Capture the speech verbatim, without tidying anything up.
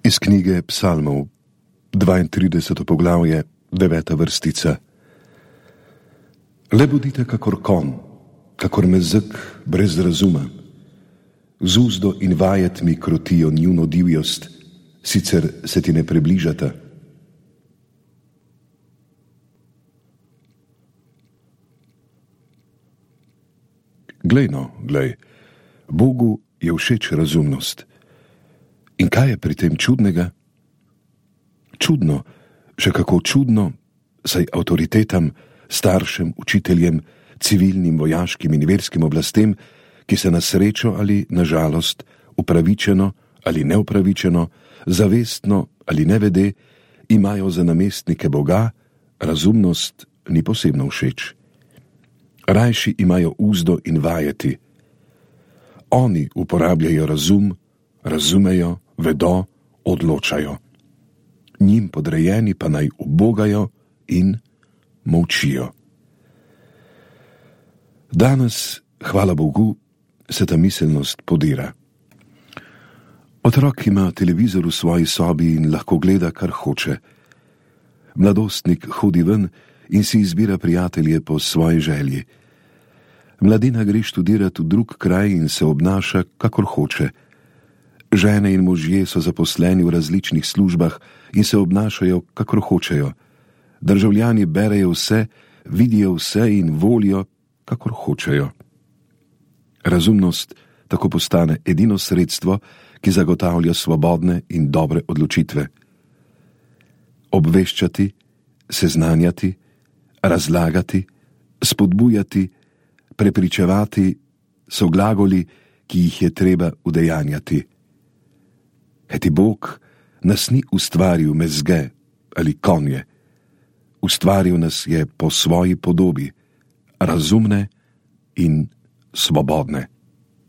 Iz knjige Psalmov, dvaintrideseto poglavje, deveta vrstica. Le bodite kakor konj, kakor mezeg brez razuma. Z uzdo in vajetmi krotijo njuno divjost, sicer se ti ne približata. Glej no, glej, Bogu je všeč razumnost. In kaj je pri tem čudnega? Čudno, še kako čudno, saj avtoritetam, staršem, učiteljem, civilnim, vojaškim in verskim oblastem, ki se na srečo ali na žalost, upravičeno ali neupravičeno, zavestno ali nevede, imajo za namestnike Boga, razumnost ni posebno všeč. Rajši imajo uzdo in vajeti. Oni uporabljajo razum, razumejo, vedo, odločajo. Njim podrejeni pa naj ubogajo in molčijo. Danes, hvala Bogu, se ta miselnost podira. Otrok ima televizor v svoji sobi in lahko gleda, kar hoče. Mladostnik hodi ven in si izbira prijatelje po svoji želji. Mladina gre študirati v drug kraj in se obnaša, kakor hoče. Žene in možje so zaposleni v različnih službah in se obnašajo, kakor hočejo. Državljani berejo vse, vidijo vse in volijo, kakor hočejo. Razumnost tako postane edino sredstvo, ki zagotavlja svobodne in dobre odločitve. Obveščati, seznanjati, razlagati, spodbujati, prepričevati so glagoli, ki jih je treba udejanjati. Kajti Bog nas ni ustvaril mezge ali konje. Ustvaril nas je po svoji podobi, razumne in svobodne.